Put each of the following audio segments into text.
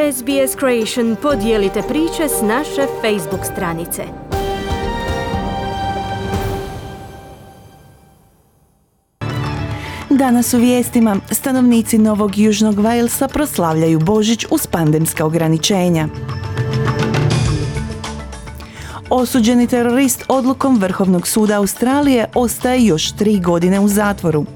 SBS Creation podijelite priče s naše Facebook stranice. Danas u vijestima stanovnici Novog Južnog Walesa proslavljaju Božić uz pandemska ograničenja. Osuđeni terorist odlukom Vrhovnog suda Australije ostaje još 3 godine u zatvoru.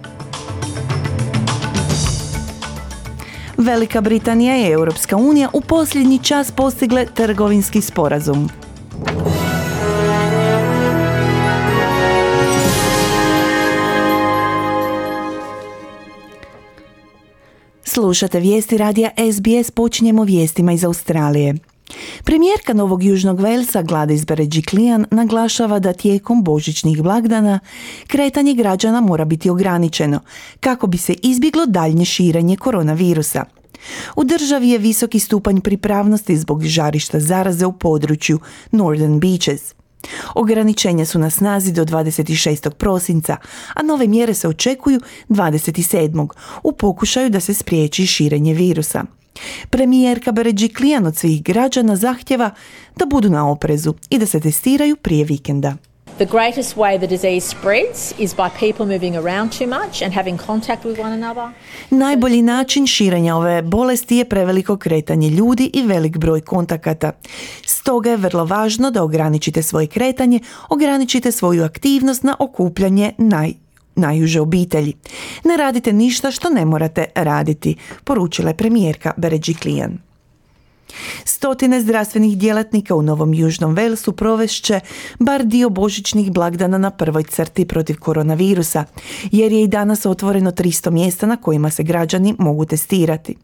Velika Britanija i Europska unija u posljednji čas postigle trgovinski sporazum. Slušate vijesti radija SBS, počinjemo vijestima iz Australije. Premijerka Novog Južnog Walesa Gladys Berejiklian naglašava da tijekom božićnih blagdana kretanje građana mora biti ograničeno kako bi se izbjeglo daljnje širenje koronavirusa. U državi je visoki stupanj pripravnosti zbog žarišta zaraze u području Northern Beaches. Ograničenja su na snazi do 26. prosinca, a nove mjere se očekuju 27. u pokušaju da se spriječi širenje virusa. Premijerka Berejiklian od svih građana zahtjeva da budu na oprezu i da se testiraju prije vikenda. The greatest way the disease spreads is by people moving around too much and having contact with one another. Najbolji način širenja ove bolesti je preveliko kretanje ljudi i velik broj kontakata. Stoga je vrlo važno da ograničite svoje kretanje, ograničite svoju aktivnost na okupljanje najuže obitelji. Ne radite ništa što ne morate raditi, poručila je premijerka Berejiklian. Stotine zdravstvenih djelatnika u Novom Južnom Walesu provešće bar dio božićnih blagdana na prvoj crti protiv koronavirusa, jer je i danas otvoreno 300 mjesta na kojima se građani mogu testirati.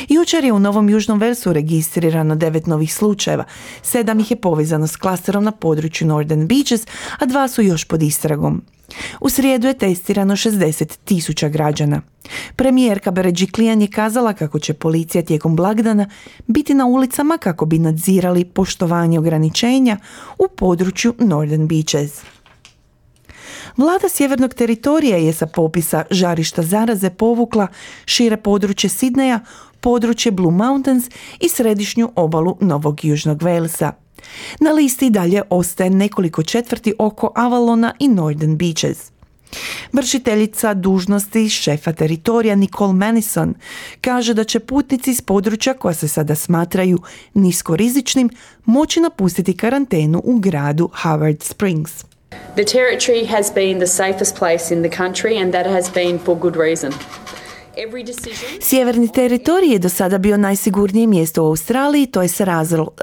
Jučer je u Novom Južnom Walesu registrirano 9 novih slučajeva, 7 ih je povezano s klasterom na području Northern Beaches, a 2 su još pod istragom. U srijedu je testirano 60,000 građana. Premijerka Berejiklian je kazala kako će policija tijekom blagdana biti na ulicama kako bi nadzirali poštovanje ograničenja u području Northern Beaches. Vlada Sjevernog teritorija je sa popisa žarišta zaraze povukla šire područje Sidneja, područje Blue Mountains i središnju obalu Novog Južnog Walesa. Na listi dalje ostaje nekoliko četvrti oko Avalona i Northern Beaches. Vršiteljica dužnosti šefa teritorija Nicole Manison kaže da će putnici iz područja koja se sada smatraju niskorizičnim moći napustiti karantenu u gradu Howard Springs. The territory has been the safest place in the country and that has been for good reason. Sjeverni teritorij je do sada bio najsigurnije mjesto u Australiji, to je s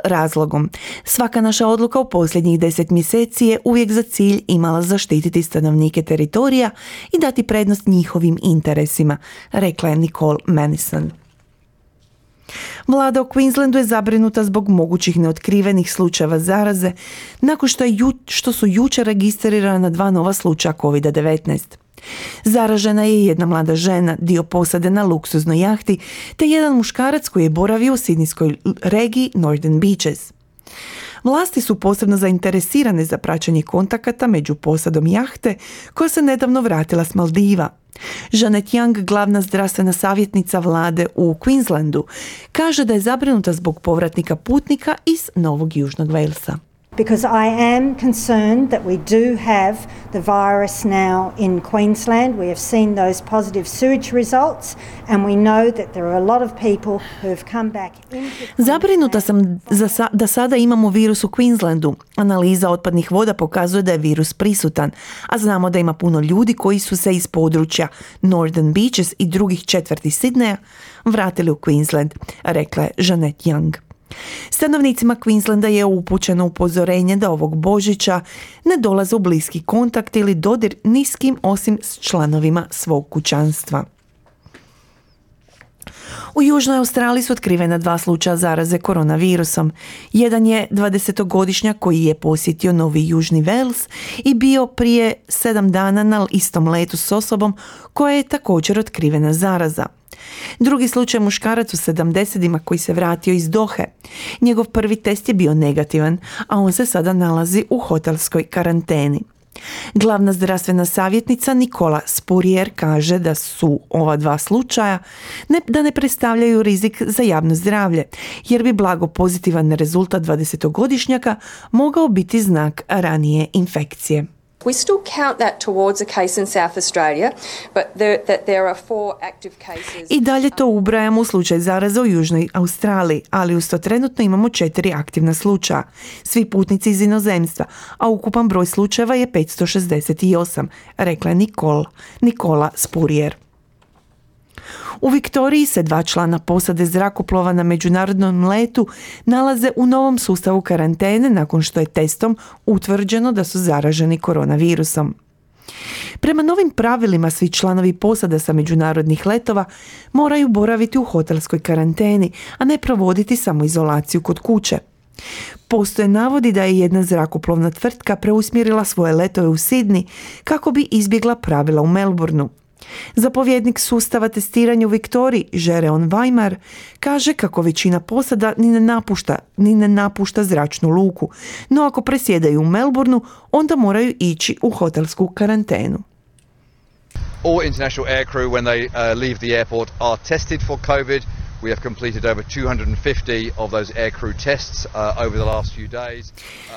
razlogom. Svaka naša odluka u posljednjih 10 mjeseci je uvijek za cilj imala zaštititi stanovnike teritorija i dati prednost njihovim interesima, rekla je Nicole Manison. Vlada u Queenslandu je zabrinuta zbog mogućih neotkrivenih slučajeva zaraze nakon što su jučer registrirana 2 nova slučaja COVID-19. Zaražena je jedna mlada žena, dio posade na luksuznoj jahti, te jedan muškarac koji je boravio u sidnijskoj regiji Northern Beaches. Vlasti su posebno zainteresirane za praćenje kontakata među posadom jahte koja se nedavno vratila s Maldiva. Janet Young, glavna zdravstvena savjetnica vlade u Queenslandu, kaže da je zabrinuta zbog povratnika putnika iz Novog Južnog Walesa. Because I am concerned that we do have the virus now in Queensland. We have seen those positive sewage results and we know that there are a lot of people who have come back into Zabrinuta sam da sada imamo virus u Queenslandu. Analiza otpadnih voda pokazuje da je virus prisutan, a znamo da ima puno ljudi koji su se iz područja Northern Beaches i drugih četvrti Sidneja vratili u Queensland, rekla je Janet Young. Stanovnicima Queenslanda je upućeno upozorenje da ovog Božića ne dolaze u bliski kontakt ili dodir ni s kim osim s članovima svog kućanstva. U Južnoj Australiji su otkrivena 2 slučaja zaraze koronavirusom. Jedan je 20-godišnjak koji je posjetio Novi Južni Wales i bio prije 7 dana na istom letu s osobom koja je također otkrivena zaraza. Drugi slučaj muškarac u 70-ima koji se vratio iz Dohe. Njegov prvi test je bio negativan, a on se sada nalazi u hotelskoj karanteni. Glavna zdravstvena savjetnica Nicola Spurrier kaže da su ova dva slučaja da ne predstavljaju rizik za javno zdravlje, jer bi blago pozitivan rezultat 20-godišnjaka mogao biti znak ranije infekcije. We still count that towards a case in South Australia, but that there are 4 active cases. I dalje to ubrajamo u slučaj zaraze u Južnoj Australiji, ali uz to trenutno imamo 4 aktivna slučaja. Svi putnici iz inozemstva, a ukupan broj slučajeva je 568, rekla je Nicola Spurrier. U Viktoriji se 2 člana posade zrakoplova na međunarodnom letu nalaze u novom sustavu karantene nakon što je testom utvrđeno da su zaraženi koronavirusom. Prema novim pravilima svi članovi posada sa međunarodnih letova moraju boraviti u hotelskoj karanteni, a ne provoditi samoizolaciju kod kuće. Postoje navodi da je jedna zrakoplovna tvrtka preusmjerila svoje letove u Sydney kako bi izbjegla pravila u Melbourneu. Zapovjednik sustava testiranja u Viktoriji, Jeroen Weimar, kaže kako većina posada ni ne napušta zračnu luku, no ako presjedaju u Melbourneu, onda moraju ići u hotelsku karantenu. All international aircrew when they leave the airport are tested for COVID. We have completed over 250 of those aircrew tests over the last few days.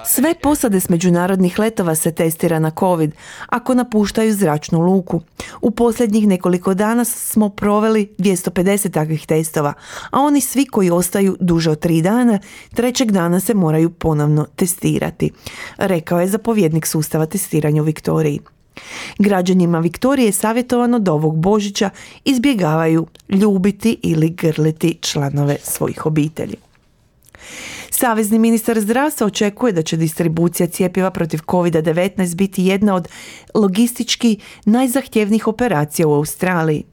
Sve posade s međunarodnih letova se testira na COVID ako napuštaju zračnu luku. U posljednjih nekoliko dana smo proveli 250 takvih testova, a oni svi koji ostaju duže od 3 dana, 3. dana se moraju ponovno testirati, rekao je zapovjednik sustava testiranja u Viktoriji. Građanima Viktorije je savjetovano da ovog Božića izbjegavaju ljubiti ili grliti članove svojih obitelji. Savezni ministar zdravstva očekuje da će distribucija cjepiva protiv COVID-19 biti jedna od logistički najzahtjevnijih operacija u Australiji.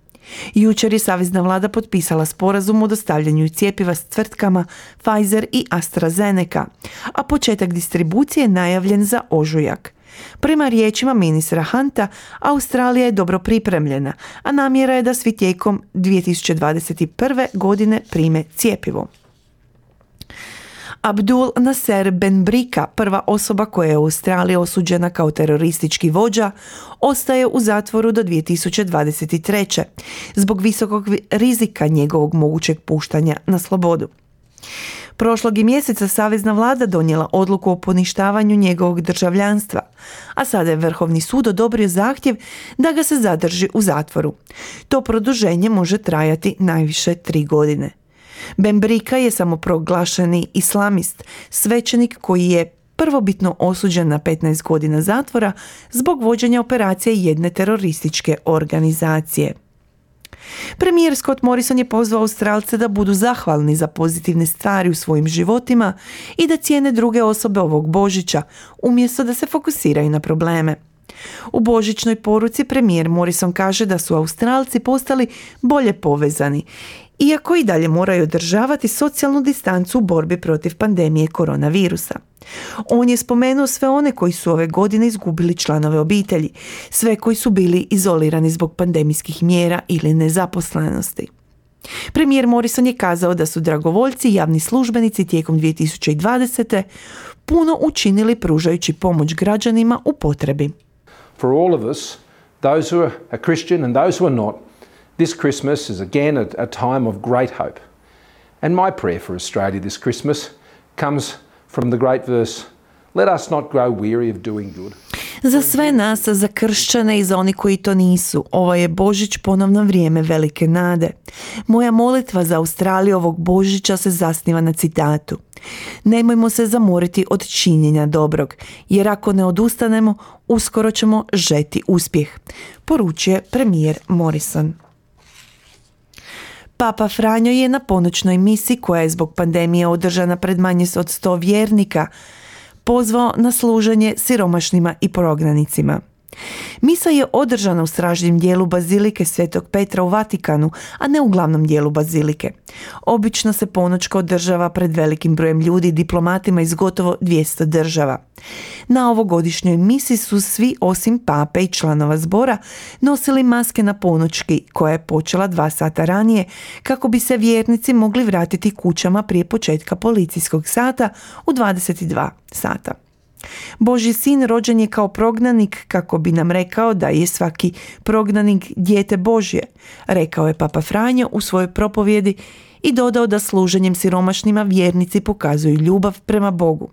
Jučer je savezna vlada potpisala sporazum o dostavljanju cjepiva s tvrtkama Pfizer i AstraZeneca, a početak distribucije je najavljen za ožujak. Prema riječima ministra Hunta, Australija je dobro pripremljena, a namjera je da svi tijekom 2021. godine prime cjepivo. Abdul Nasser Ben Brika, prva osoba koja je u Australiji osuđena kao teroristički vođa, ostaje u zatvoru do 2023. zbog visokog rizika njegovog mogućeg puštanja na slobodu. Prošlog je mjeseca savezna vlada donijela odluku o poništavanju njegovog državljanstva, a sada je Vrhovni sud odobrio zahtjev da ga se zadrži u zatvoru. To produženje može trajati najviše 3 godine. Ben Brika je samoproglašeni islamist, svećenik koji je prvobitno osuđen na 15 godina zatvora zbog vođenja operacije jedne terorističke organizacije. Premijer Scott Morrison je pozvao Australce da budu zahvalni za pozitivne stvari u svojim životima i da cijene druge osobe ovog Božića, umjesto da se fokusiraju na probleme. U božićnoj poruci premijer Morrison kaže da su Australci postali bolje povezani, iako i dalje moraju održavati socijalnu distancu u borbi protiv pandemije koronavirusa. On je spomenuo sve one koji su ove godine izgubili članove obitelji, sve koji su bili izolirani zbog pandemijskih mjera ili nezaposlenosti. Premijer Morrison je kazao da su dragovoljci i javni službenici tijekom 2020. puno učinili pružajući pomoć građanima u potrebi. For all of us, those who are Christian and those who are not, this Christmas is again a time of great hope. And my prayer for Australia this Christmas comes from the great verse, let us not grow weary of doing good. Za sve nas, za kršćane i za oni koji to nisu, ovo je Božić ponovno vrijeme velike nade. Moja molitva za Australiju ovog Božića se zasniva na citatu. Nemojmo se zamoriti od činjenja dobrog, jer ako ne odustanemo, uskoro ćemo žeti uspjeh, poručuje premijer Morrison. Papa Franjo je na ponoćnoj misi koja je zbog pandemije održana pred manje od 100 vjernika pozvao na služenje siromašnima i prognanicima. Misa je održana u stražnjem dijelu bazilike Svetog Petra u Vatikanu, a ne u glavnom dijelu bazilike. Obično se ponoćka održava pred velikim brojem ljudi i diplomatima iz gotovo 200 država. Na ovogodišnjoj misi su svi osim pape i članova zbora nosili maske na ponoćki koja je počela 2 sata ranije kako bi se vjernici mogli vratiti kućama prije početka policijskog sata u 22 sata. Božji sin rođen je kao prognanik kako bi nam rekao da je svaki prognanik dijete Božje, rekao je Papa Franjo u svojoj propovjedi i dodao da služenjem siromašnima vjernici pokazuju ljubav prema Bogu.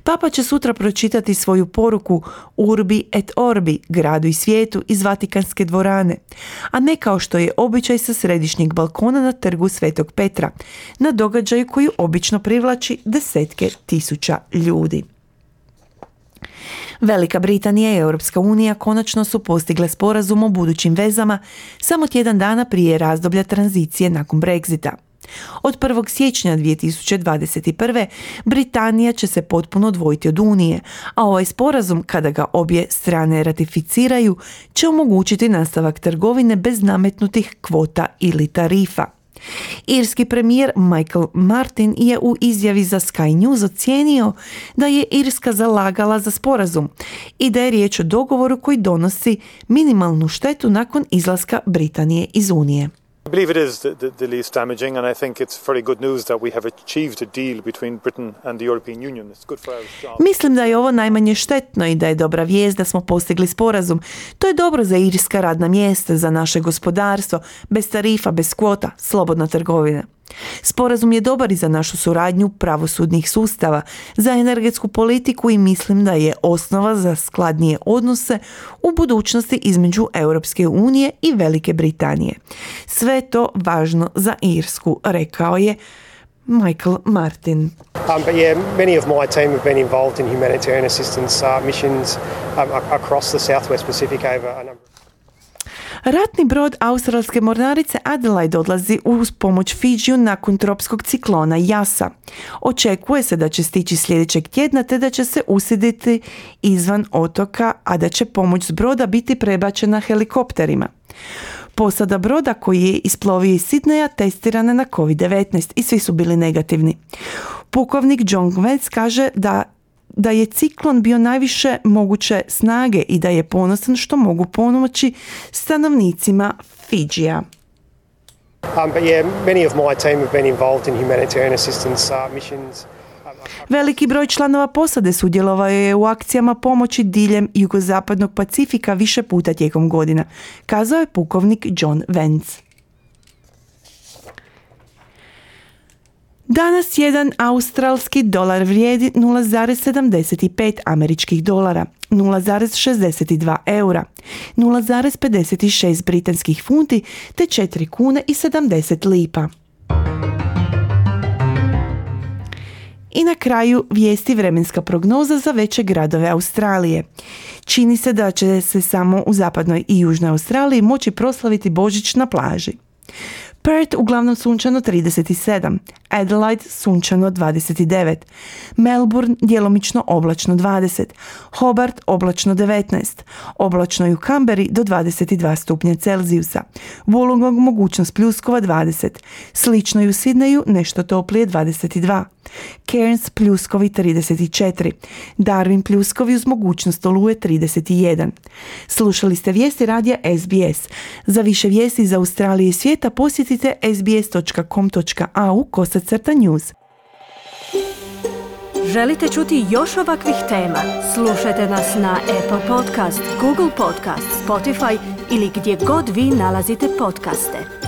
Papa će sutra pročitati svoju poruku Urbi et Orbi, gradu i svijetu, iz Vatikanske dvorane, a ne kao što je običaj sa središnjeg balkona na trgu Svetog Petra, na događaju koji obično privlači desetke tisuća ljudi. Velika Britanija i Europska unija konačno su postigle sporazum o budućim vezama samo tjedan dana prije razdoblja tranzicije nakon Brexita. Od 1. siječnja 2021. Britanija će se potpuno odvojiti od Unije, a ovaj sporazum, kada ga obje strane ratificiraju, će omogućiti nastavak trgovine bez nametnutih kvota ili tarifa. Irski premijer Michael Martin je u izjavi za Sky News ocijenio da je Irska zalagala za sporazum i da je riječ o dogovoru koji donosi minimalnu štetu nakon izlaska Britanije iz Unije. I believe it is the least damaging, and I think it's very good news that we have achieved a deal between Britain and the European Union. It's good for our jobs. Mislim da je ovo najmanje štetno i da je dobra vijest da smo postigli sporazum. To je dobro za irska radna mjesta, za naše gospodarstvo, bez tarifa, bez kvota, slobodna trgovina. Sporazum je dobar i za našu suradnju pravosudnih sustava, za energetsku politiku i mislim da je osnova za skladnije odnose u budućnosti između Europske unije i Velike Britanije. Sve to važno za Irsku, rekao je Michael Martin. But yeah, many of my team have been involved in humanitarian assistance missions across the Southwest Pacific over a number. Ratni brod australske mornarice Adelaide odlazi uz pomoć Fidžiju nakon tropskog ciklona Jasa. Očekuje se da će stići sljedećeg tjedna te da će se usiditi izvan otoka, a da će pomoć s broda biti prebačena helikopterima. Posada broda koji je isplovio iz Sidneja testirana na COVID-19 i svi su bili negativni. Pukovnik John Vance kaže da je ciklon bio najviše moguće snage i da je ponosan što mogu pomoći stanovnicima Fidžija. But yeah, many of my team have been involved in humanitarian assistance missions. Veliki broj članova posade sudjelovao je u akcijama pomoći diljem jugozapadnog Pacifika više puta tijekom godina, kazao je pukovnik John Vance. Danas jedan australski dolar vrijedi 0,75 američkih dolara, 0,62 eura, 0,56 britanskih funti te 4 kune i 70 lipa. I na kraju vijesti vremenska prognoza za veće gradove Australije. Čini se da će se samo u zapadnoj i južnoj Australiji moći proslaviti Božić na plaži. Perth uglavnom sunčano 37, Adelaide sunčano 29, Melbourne djelomično oblačno 20, Hobart oblačno 19, oblačno i u Canberri do 22 stupnja Celzijusa, Wollongong mogućnost pljuskova 20, slično i u Sidneju nešto toplije 22, Cairns pljuskovi 34, Darwin pljuskovi uz mogućnost oluje 31. Slušali ste vijesti radija SBS. Za više vijesti iz Australije i svijeta posjetite sbs.com.au/news. Želite čuti još ovakvih tema? Slušajte nas na Apple Podcast, Google Podcast, Spotify ili gdje god vi nalazite podcaste.